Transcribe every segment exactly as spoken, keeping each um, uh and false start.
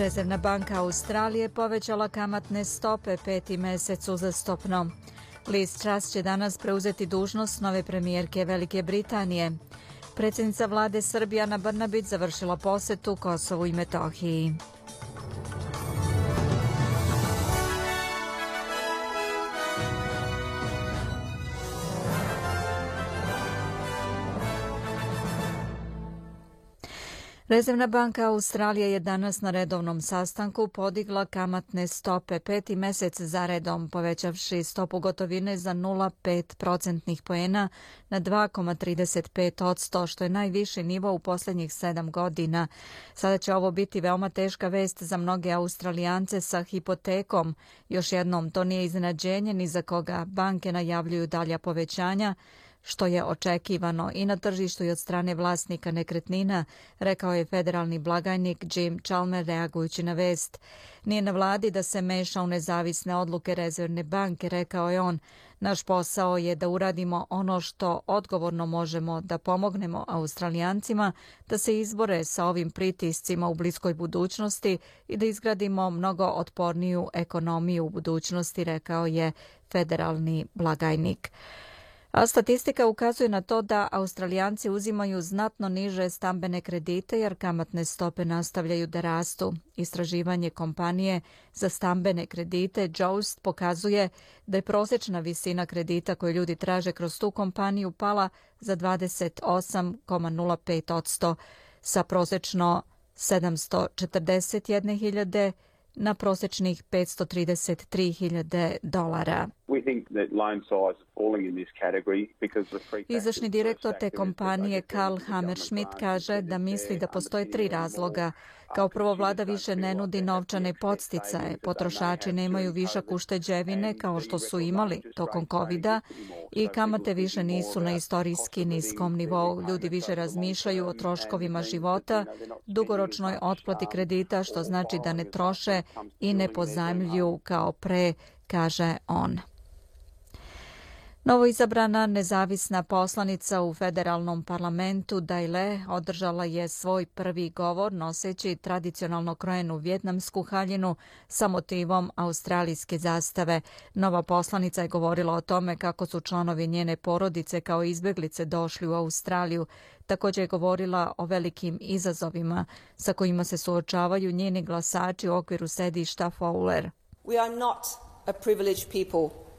Rezervna banka Australije povećala kamatne stope peti mesec uzastopno. Liz Truss će danas preuzeti dužnost nove premijerke Velike Britanije. Predsjednica vlade Srbije Ana Brnabić završila posetu Kosovu i Metohiji. Rezervna banka Australije je danas na redovnom sastanku podigla kamatne stope peti mesec za redom, povećavši stopu gotovine za nula zarez pet procentnih poena na dva zarez trideset pet posto, što je najviši nivo u posljednjih sedam godina. Sada će ovo biti veoma teška vest za mnoge Australijance sa hipotekom. Još jednom, to nije iznenađenje ni za koga. Banke najavljuju dalja povećanja, što je očekivano i na tržištu i od strane vlasnika nekretnina, rekao je federalni blagajnik Jim Chalmers reagujući na vest. Nije na vladi da se meša u nezavisne odluke Rezervne banke, rekao je on. Naš posao je da uradimo ono što odgovorno možemo, da pomognemo Australijancima da se izbore sa ovim pritiscima u bliskoj budućnosti i da izgradimo mnogo otporniju ekonomiju u budućnosti, rekao je federalni blagajnik. A statistika ukazuje na to da Australijanci uzimaju znatno niže stambene kredite jer kamatne stope nastavljaju da rastu. Istraživanje kompanije za stambene kredite Joost pokazuje da je prosječna visina kredita koju ljudi traže kroz tu kompaniju pala za dvadeset osam zarez nula pet posto sa prosječno sedamsto četrdeset jedne hiljade na prosječnih petsto trideset tri hiljade dolara. Izvršni direktor te kompanije Karl Hammerschmidt kaže da misli da postoje tri razloga. Kao prvo, vlada više ne nudi novčane podsticaje, potrošači nemaju višak ušteđevine kao što su imali tokom kovida i kamate više nisu na istorijski niskom nivou. Ljudi više razmišljaju o troškovima života, dugoročnoj otplati kredita, što znači da ne troše i ne pozajmljuju kao pre, kaže on. Novoizabrana nezavisna poslanica u federalnom parlamentu Daile održala je svoj prvi govor noseći tradicionalno krojenu vjetnamsku haljinu sa motivom australijske zastave. Nova poslanica je govorila o tome kako su članovi njene porodice kao izbjeglice došli u Australiju. Također je govorila o velikim izazovima sa kojima se suočavaju njeni glasači u okviru sedišta Fowler. We are not a privileged people.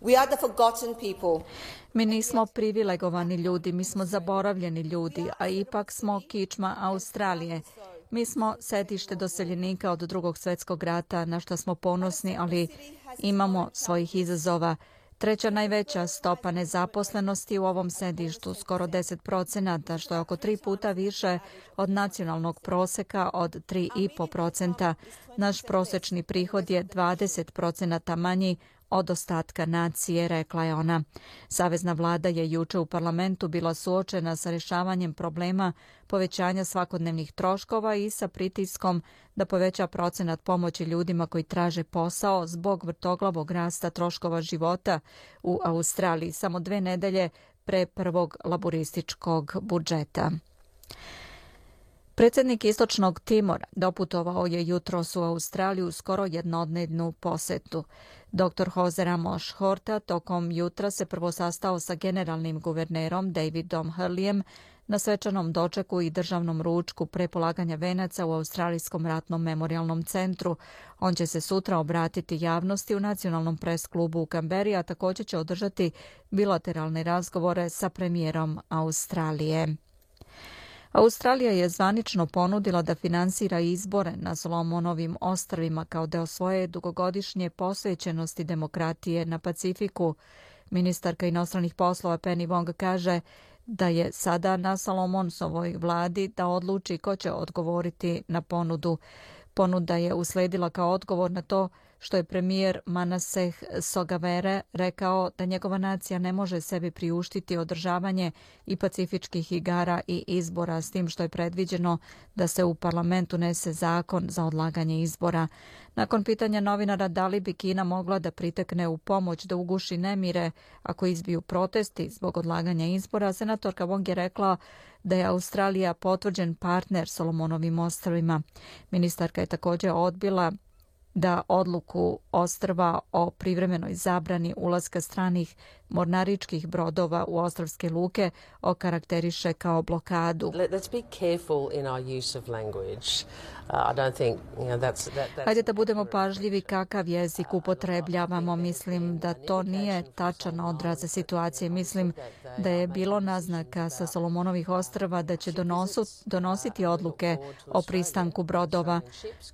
We are the forgotten people. Mi nismo privilegovani ljudi, mi smo zaboravljeni ljudi, a ipak smo kičma Australije. Mi smo sedište doseljenika od drugog svjetskog rata, na što smo ponosni, ali imamo svojih izazova. Treća najveća stopa nezaposlenosti u ovom sedištu, skoro deset procenata, što je oko tri puta više od nacionalnog proseka od tri zarez pet procenta. Naš prosječni prihod je dvadeset procenata manji od ostatka nacije, rekla je ona. Savezna vlada je juče u parlamentu bila suočena sa rješavanjem problema povećanja svakodnevnih troškova i sa pritiskom da poveća procenat pomoći ljudima koji traže posao zbog vrtoglavog rasta troškova života u Australiji, samo dve nedelje pre prvog laburističkog budžeta. Predsjednik Istočnog Timora doputovao je jutros u Australiju u skoro jednodnevnu posetu. doktor Jose Ramos Horta tokom jutra se prvo sastao sa generalnim guvernerom Davidom Hurleyem na svečanom dočeku i državnom ručku pre polaganja venaca u Australijskom ratnom memorijalnom centru. On će se sutra obratiti javnosti u nacionalnom pres klubu u Kamberi, a također će održati bilateralne razgovore sa premijerom Australije. Australija je zvanično ponudila da finansira izbore na Solomonovim ostrvima kao deo svoje dugogodišnje posvećenosti demokratije na Pacifiku. Ministarka inostranih poslova Penny Wong kaže da je sada na Solomonsovoj vladi da odluči ko će odgovoriti na ponudu. Ponuda je usledila kao odgovor na to što je premijer Manaseh Sogavere rekao da njegova nacija ne može sebi priuštiti održavanje i pacifičkih igara i izbora, s tim što je predviđeno da se u parlamentu nese zakon za odlaganje izbora. Nakon pitanja novinara da li bi Kina mogla da pritekne u pomoć da uguši nemire ako izbiju protesti zbog odlaganja izbora, senatorka Wong je rekla da je Australija potvrđen partner Solomonovim ostrvima. Ministarka je također odbila da odluku ostrva o privremenoj zabrani ulaska stranih mornaričkih brodova u ostrvske luke okarakteriše kao blokadu. Hajde da budemo pažljivi kakav jezik upotrebljavamo. Mislim da to nije tačan odraz situacije. Mislim da je bilo naznaka sa Solomonovih ostrva da će donosu, donositi odluke o pristanku brodova.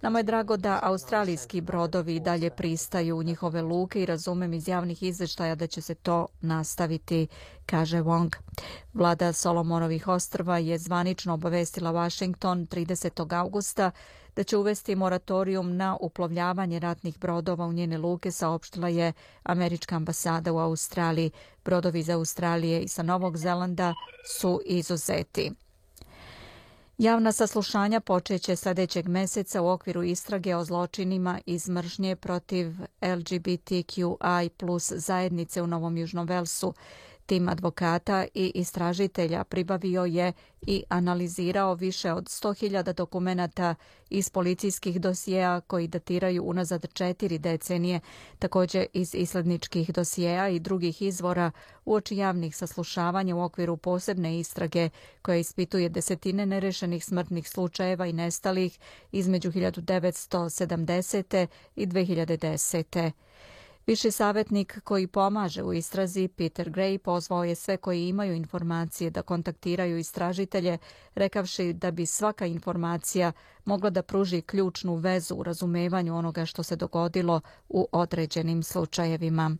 Nama je drago da australijski brodovi dalje pristaju u njihove luke i razumem iz javnih izvještaja da će se to nastaviti, kaže Wong. Vlada Solomonovih ostrva je zvanično obavestila Washington tridesetog augusta da će uvesti moratorijum na uplovljavanje ratnih brodova u njene luke, saopštila je američka ambasada u Australiji. Brodovi iz Australije i sa Novog Zelanda su izuzeti. Javna saslušanja počeće sljedećeg meseca u okviru istrage o zločinima iz mržnje protiv L G B T Q I plus zajednice u Novom Južnom Velsu. Tim advokata i istražitelja pribavio je i analizirao više od sto hiljada dokumenata iz policijskih dosjea koji datiraju unazad četiri decenije, također iz isledničkih dosjea i drugih izvora uoči javnih saslušavanja u okviru posebne istrage koja ispituje desetine nerešenih smrtnih slučajeva i nestalih između hiljadu devetsto sedamdesete i dve hiljade desete. Viši savjetnik koji pomaže u istrazi, Peter Gray, pozvao je sve koji imaju informacije da kontaktiraju istražitelje, rekavši da bi svaka informacija mogla da pruži ključnu vezu u razumevanju onoga što se dogodilo u određenim slučajevima.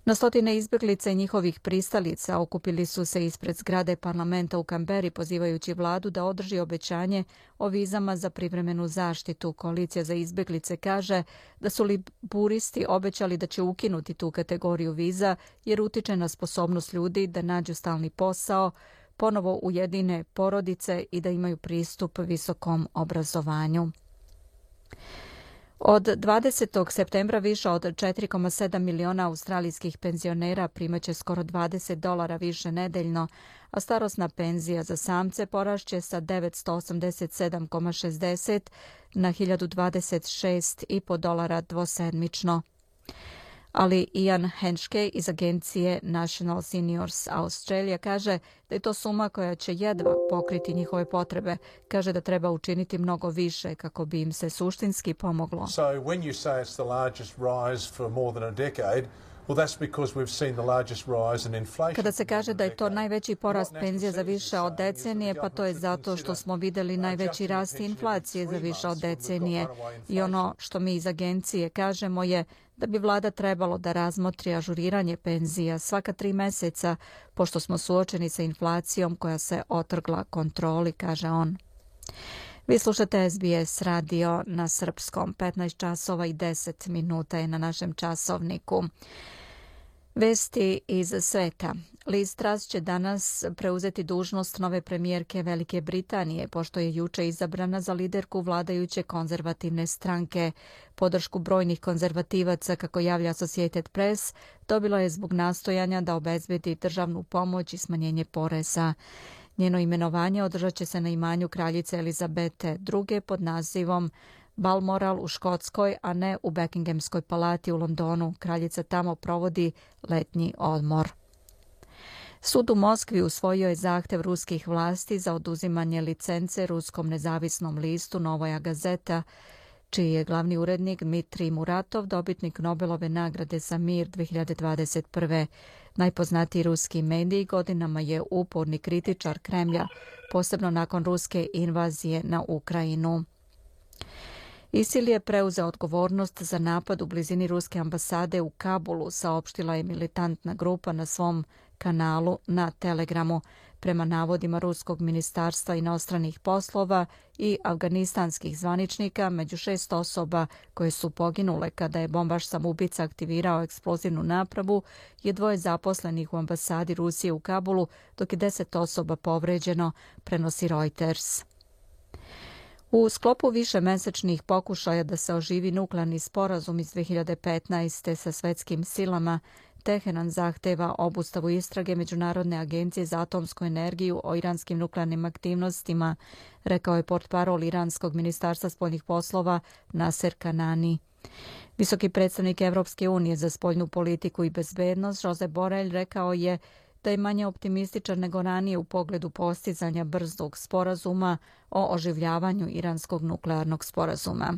Na stotine izbjeglica i njihovih pristalica okupili su se ispred zgrade parlamenta u Kamberi pozivajući vladu da održi obećanje o vizama za privremenu zaštitu. Koalicija za izbjeglice kaže da su liburisti obećali da će ukinuti tu kategoriju viza jer utiče na sposobnost ljudi da nađu stalni posao, ponovo ujedine porodice i da imaju pristup visokom obrazovanju. Od dvadesetog septembra više od četiri zarez sedam miliona australijskih penzionera primaće skoro dvadeset dolara više nedeljno, a starosna penzija za samce porašće sa devetsto osamdeset sedam zarez šezdeset na hiljadu dvadeset šest zarez pet dolara dvosedmično. Ali Ian Henschke iz agencije National Seniors Australia kaže da je to suma koja će jedva pokriti njihove potrebe. Kaže da treba učiniti mnogo više kako bi im se suštinski pomoglo. So when you say it's the largest rise for more than a decade, well, that's because we've seen the largest rise in inflation. Kada se kaže da je to najveći porast penzija za više od decenije, pa to je zato što smo vidjeli najveći rast inflacije za više od decenije. I ono što mi iz agencije kažemo je da bi vlada trebalo da razmotri ažuriranje penzija svaka tri meseca, pošto smo suočeni sa inflacijom koja se otrgla kontroli, kaže on. Vi slušate S B S radio na srpskom. petnaest časova i deset minuta je na našem časovniku. Vesti iz sveta. Liz Truss će danas preuzeti dužnost nove premijerke Velike Britanije, pošto je juče izabrana za liderku vladajuće konzervativne stranke. Podršku brojnih konzervativaca, kako javlja Associated Press, dobila je zbog nastojanja da obezbedi državnu pomoć i smanjenje poreza. Njeno imenovanje održat će se na imanju kraljice Elizabete druge pod nazivom Balmoral u Škotskoj, a ne u Buckinghamskoj palati u Londonu. Kraljica tamo provodi letnji odmor. Sud u Moskvi usvojio je zahtev ruskih vlasti za oduzimanje licence ruskom nezavisnom listu Novoja Gazeta, čiji je glavni urednik Dmitrij Muratov dobitnik Nobelove nagrade za mir dve hiljade dvadeset prve. Najpoznatiji ruski medij godinama je uporni kritičar Kremlja, posebno nakon ruske invazije na Ukrajinu. ISIL je preuzeo odgovornost za napad u blizini ruske ambasade u Kabulu, saopštila je militantna grupa na svom kanalu na Telegramu. Prema navodima Ruskog ministarstva inostranih poslova i afganistanskih zvaničnika, među šest osoba koje su poginule kada je bombaš samoubica aktivirao eksplozivnu napravu je dvoje zaposlenih u ambasadi Rusije u Kabulu, dok je deset osoba povređeno, prenosi Reuters. U sklopu višemesečnih pokušaja da se oživi nuklearni sporazum iz dve hiljade petnaeste. sa svetskim silama, Teheran zahteva obustavu istrage Međunarodne agencije za atomsku energiju o iranskim nuklearnim aktivnostima, rekao je portparol iranskog ministarstva spoljnih poslova Naser Kanani. Visoki predstavnik Evropske unije za spoljnu politiku i bezbednost Josep Borrell rekao je da je manje optimističan nego ranije u pogledu postizanja brzog sporazuma o oživljavanju iranskog nuklearnog sporazuma.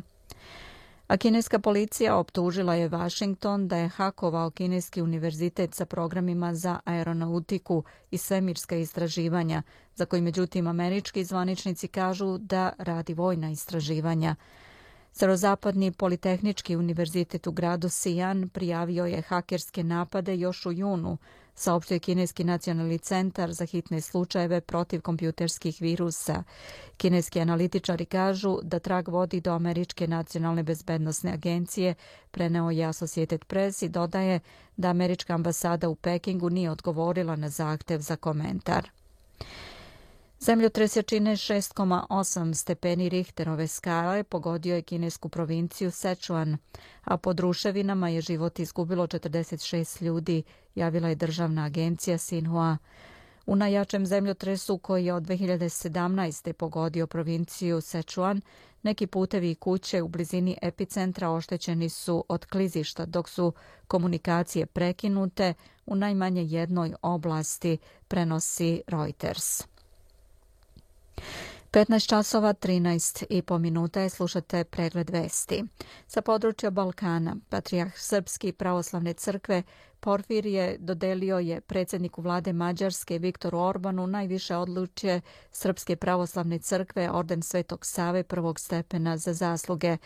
A kineska policija optužila je Washington da je hakovao kineski univerzitet sa programima za aeronautiku i svemirska istraživanja, za koji međutim američki zvaničnici kažu da radi vojna istraživanja. Severozapadni politehnički univerzitet u gradu Xi'an prijavio je hakerske napade još u junu, saopštio je Kineski nacionalni centar za hitne slučajeve protiv kompjuterskih virusa. Kineski analitičari kažu da trag vodi do Američke nacionalne bezbednosne agencije, preneo je Associated Press i dodaje da američka ambasada u Pekingu nije odgovorila na zahtev za komentar. Zemljotres jačine šest zarez osam stepeni Richterove skale pogodio je kinesku provinciju Sichuan, a pod ruševinama je život izgubilo četrdeset šest ljudi, javila je državna agencija Xinhua. U najjačem zemljotresu koji je od dve hiljade sedamnaeste. pogodio provinciju Sichuan, neki putevi i kuće u blizini epicentra oštećeni su od klizišta, dok su komunikacije prekinute u najmanje jednoj oblasti, prenosi Reuters. petnaest časova trinaest i po minuta je, slušate pregled vesti. Sa područja Balkana, patrijarh Srpske pravoslavne crkve Porfirije dodelio je predsjedniku vlade Mađarske Viktoru Orbanu najviše odličje Srpske pravoslavne crkve, orden Svetog Save prvog stepena za zasluge.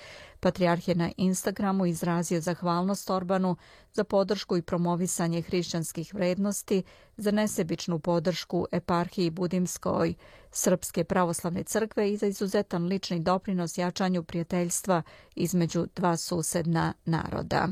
Patrijarh je na Instagramu izrazio zahvalnost Orbanu za podršku i promovisanje hrišćanskih vrednosti, za nesebičnu podršku eparhiji Budimskoj Srpske pravoslavne crkve i za izuzetan lični doprinos jačanju prijateljstva između dva susedna naroda.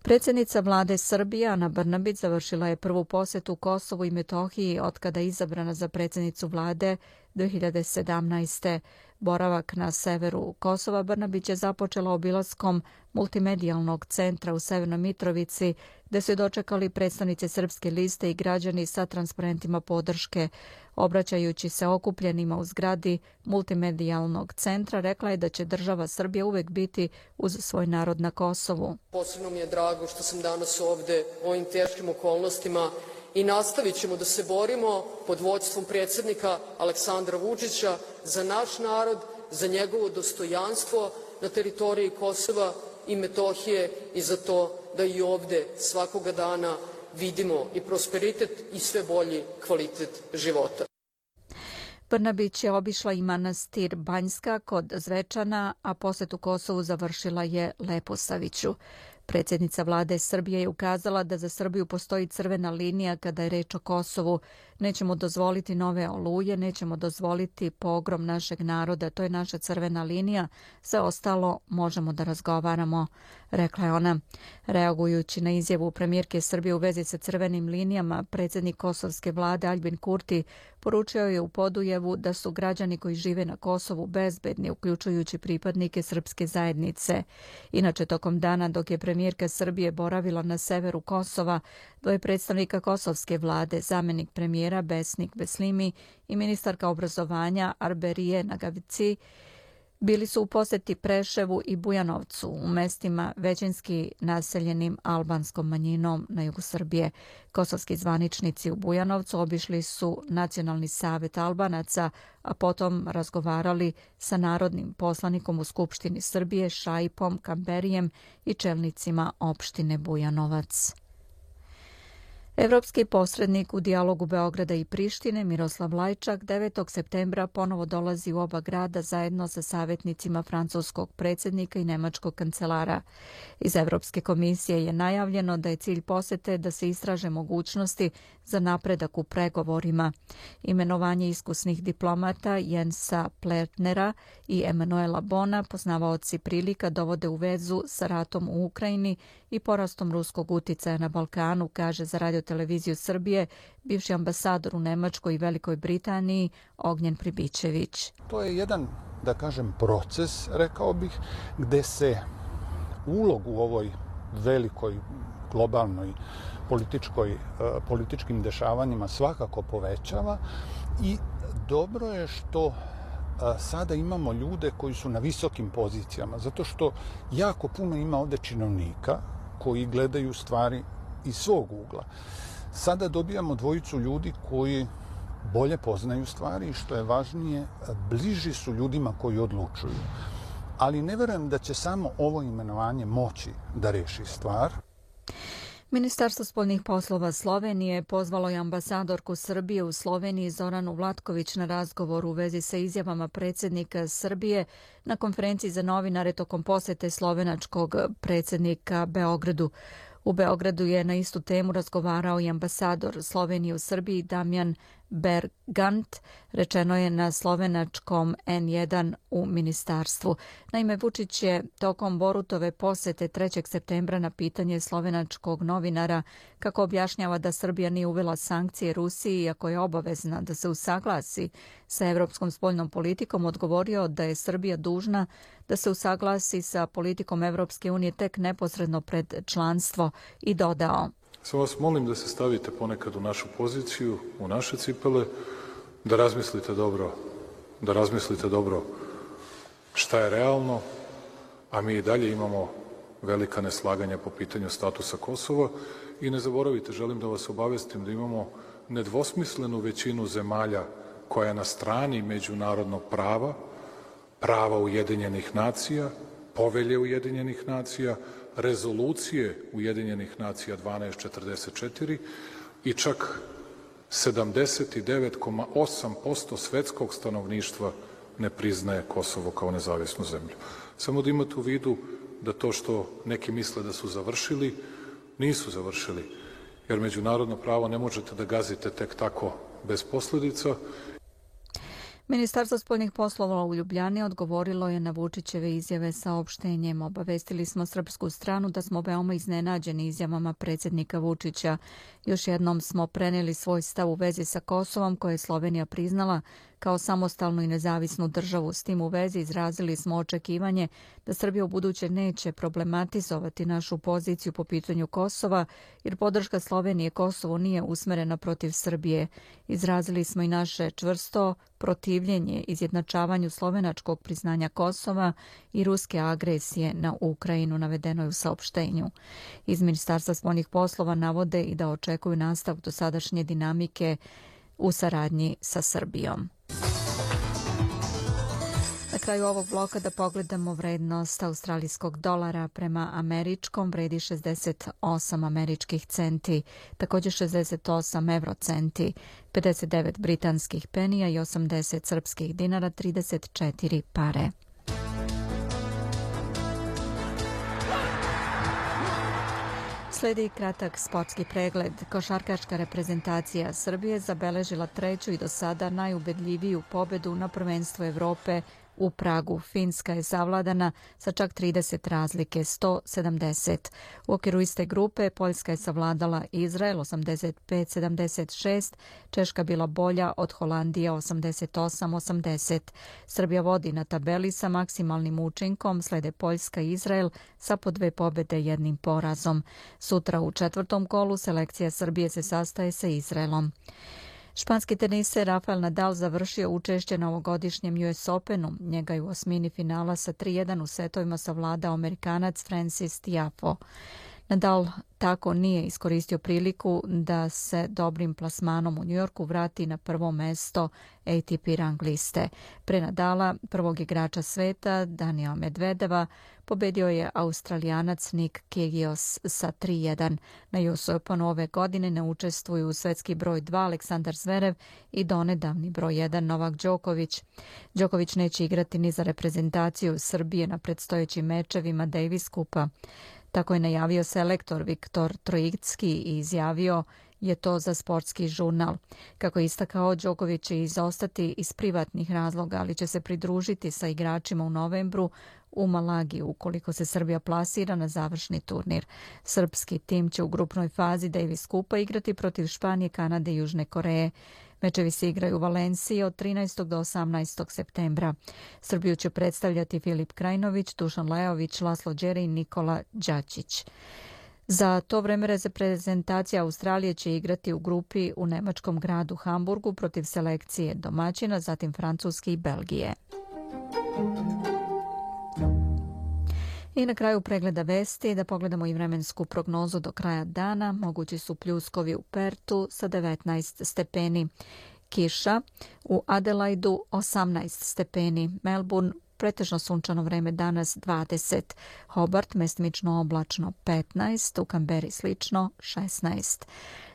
Predsjednica vlade Srbije Ana Brnabić završila je prvu posetu Kosovu i Metohiji otkada je izabrana za predsjednicu vlade dve hiljade sedamnaeste. Boravak na severu Kosova Brnabić je započela obilaskom multimedijalnog centra u Severnoj Mitrovici, gde su je dočekali predstavnici Srpske liste i građani sa transparentima podrške. Obraćajući se okupljenima u zgradi multimedijalnog centra, rekla je da će država Srbija uvek biti uz svoj narod na Kosovu. Posebno mi je drago što sam danas ovde u ovim teškim okolnostima i nastavit ćemo da se borimo pod vođstvom predsjednika Aleksandra Vučića za naš narod, za njegovo dostojanstvo na teritoriji Kosova i Metohije i za to da i ovde svakoga dana vidimo i prosperitet i sve bolji kvalitet života. Brnabić je obišla i manastir Banjska kod Zvečana, a posetu Kosovu završila je Leposaviću. Predsjednica vlade Srbije je ukazala da za Srbiju postoji crvena linija kada je reč o Kosovu. Nećemo dozvoliti nove oluje, nećemo dozvoliti pogrom našeg naroda, to je naša crvena linija, sve ostalo možemo da razgovaramo, rekla je ona. Reagujući na izjavu premijerke Srbije u vezi sa crvenim linijama, predsjednik kosovske vlade Aljbin Kurti poručio je u Podujevu da su građani koji žive na Kosovu bezbedni, uključujući pripadnike srpske zajednice. Inače, tokom dana dok je premijerka Srbije boravila na severu Kosova, dvoje predstavnika kosovske vlade, zamenik premijera Besnik Beslimi i ministarka obrazovanja Arberije Nagavici, bili su u poseti Preševu i Bujanovcu, u mestima većinski naseljenim albanskom manjinom na jugu Srbije. Kosovski zvaničnici u Bujanovcu obišli su Nacionalni savet Albanaca, a potom razgovarali sa narodnim poslanikom u Skupštini Srbije Šaipom Kamberijem i čelnicima opštine Bujanovac. Evropski posrednik u dijalogu Beograda i Prištine Miroslav Lajčak devetog septembra ponovo dolazi u oba grada zajedno sa savjetnicima francuskog predsjednika i nemačkog kancelara. Iz Evropske komisije je najavljeno da je cilj posete da se istraže mogućnosti za napredak u pregovorima. Imenovanje iskusnih diplomata Jensa Plertnera i Emanuela Bona, poznavaoci prilika, dovode u vezu sa ratom u Ukrajini i porastom ruskog uticaja na Balkanu, kaže za radioteleviziju Srbije bivši ambasador u Nemačkoj i Velikoj Britaniji Ognjen Pribičević. To je jedan, da kažem, proces, rekao bih, gde se ulog u ovoj velikoj globalnoj političkoj, političkim dešavanjima svakako povećava i dobro je što sada imamo ljude koji su na visokim pozicijama, zato što jako puno ima ovde činovnika koji gledaju stvari iz svog ugla. Sada dobijamo dvojicu ljudi koji bolje poznaju stvari i što je važnije, bliži su ljudima koji odlučuju. Ali ne verujem da će samo ovo imenovanje moći da reši stvar. Ministarstvo spoljnih poslova Slovenije pozvalo je ambasadorku Srbije u Sloveniji Zoranu Vlatković na razgovor u vezi sa izjavama predsjednika Srbije na konferenciji za novinare tokom posete slovenačkog predsjednika Beogradu. U Beogradu je na istu temu razgovarao i ambasador Slovenije u Srbiji Damjan Bergant, rečeno je na slovenačkom en jedan u ministarstvu. Naime, Vučić je tokom Borutove posete trećeg septembra na pitanje slovenačkog novinara kako objašnjava da Srbija nije uvela sankcije Rusiji iako je obavezna da se usaglasi sa evropskom spoljnom politikom, odgovorio da je Srbija dužna da se usaglasi sa politikom Evropske unije tek neposredno pred članstvo i dodao: Samo vas molim da se stavite ponekad u našu poziciju, u naše cipele, da razmislite dobro, da razmislite dobro šta je realno, a mi i dalje imamo velika neslaganja po pitanju statusa Kosova i ne zaboravite, želim da vas obavestim da imamo nedvosmislenu većinu zemalja koja je na strani međunarodnog prava, prava Ujedinjenih nacija, povelje Ujedinjenih nacija, rezolucije Ujedinjenih nacija dvanaest četrdeset četiri i čak sedamdeset devet zarez osam posto svetskog stanovništva ne priznaje Kosovo kao nezavisnu zemlju. Samo da imate u vidu da to što neki misle da su završili, nisu završili, jer međunarodno pravo ne možete da gazite tek tako bez posledica. Ministarstvo spoljnih poslova u Ljubljani odgovorilo je na Vučićeve izjave saopštenjem. Obavestili smo srpsku stranu da smo veoma iznenađeni izjavama predsjednika Vučića. Još jednom smo preneli svoj stav u vezi sa Kosovom koje je Slovenija priznala kao samostalnu i nezavisnu državu. S tim u vezi izrazili smo očekivanje da Srbija u buduće neće problematizovati našu poziciju po pitanju Kosova, jer podrška Slovenije Kosovo nije usmerena protiv Srbije. Izrazili smo i naše čvrsto protivljenje izjednačavanju slovenačkog priznanja Kosova i ruske agresije na Ukrajinu, navedeno je u saopštenju. Iz Ministarstva spoljnih poslova navode i da očekuju nastavak dosadašnje dinamike u saradnji sa Srbijom. Na kraju ovog bloka da pogledamo vrednost australijskog dolara prema američkom, vredi šezdeset osam američkih centi, također šezdeset osam evrocenti, pedeset devet britanskih penija i osamdeset srpskih dinara, trideset četiri pare. Sledi kratak sportski pregled. Košarkaška reprezentacija Srbije zabeležila treću i do sada najubedljiviju pobedu na prvenstvu Evrope u Pragu. Finska je savladana sa čak trideset razlike, sto sedamdeset. U okviru iste grupe Poljska je savladala Izrael osamdeset pet sedamdeset šest, Češka bila bolja od Holandije osamdeset osam osamdeset. Srbija vodi na tabeli sa maksimalnim učinkom, slede Poljska i Izrael sa po dve pobede jednim porazom. Sutra u četvrtom kolu selekcija Srbije se sastaje sa Izraelom. Španski teniser Rafael Nadal završio učešće na ovogodišnjem U S Openu. Njega je u osmini finala sa tri jedan u setovima savladao Amerikanac Francis Tiafoe. Nadal tako nije iskoristio priliku da se dobrim plasmanom u Njujorku vrati na prvo mesto A T P rang liste. Pre Nadala, prvog igrača sveta, Daniela Medvedeva, pobedio je Australijanac Nick Kyrgios sa tri jedan. Na U S Openu ove godine ne učestvuju svetski broj dva Aleksandar Zverev i donedavni broj jedan Novak Đoković. Đoković neće igrati ni za reprezentaciju Srbije na predstojećim mečevima Davis Kupa. Tako je najavio selektor Viktor Trojicki i izjavio je to za sportski žurnal. Kako je istakao, Đoković će izostati iz privatnih razloga, ali će se pridružiti sa igračima u novembru u Malagi ukoliko se Srbija plasira na završni turnir. Srpski tim će u grupnoj fazi Davis Kupa igrati protiv Španije, Kanade i Južne Koreje. Mečevi se igraju u Valenciji od trinaestog do osamnaestog septembra. Srbiju će predstavljati Filip Krajinović, Dušan Lajović, Laslo Đere i Nikola Đačić. Za to vreme reprezentacija Australije će igrati u grupi u nemačkom gradu Hamburgu protiv selekcije domaćina, zatim Francuske i Belgije. I na kraju pregleda vesti da pogledamo i vremensku prognozu do kraja dana. Mogući su pljuskovi u Pertu sa devetnaest stepeni. Kiša u Adelaidu osamnaest stepeni. Melbourne pretežno sunčano vreme danas dvadeset. Hobart mestimično oblačno petnaest. U Kamberi slično šesnaest.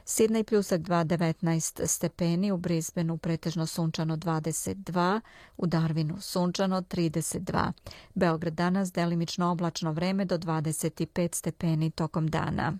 Sidney pljusak dva, devetnaest stepeni, u Brisbaneu pretežno sunčano dvadeset dva, u Darwinu sunčano trideset dva. Beograd danas delimično oblačno vreme do dvadeset pet stepeni tokom dana.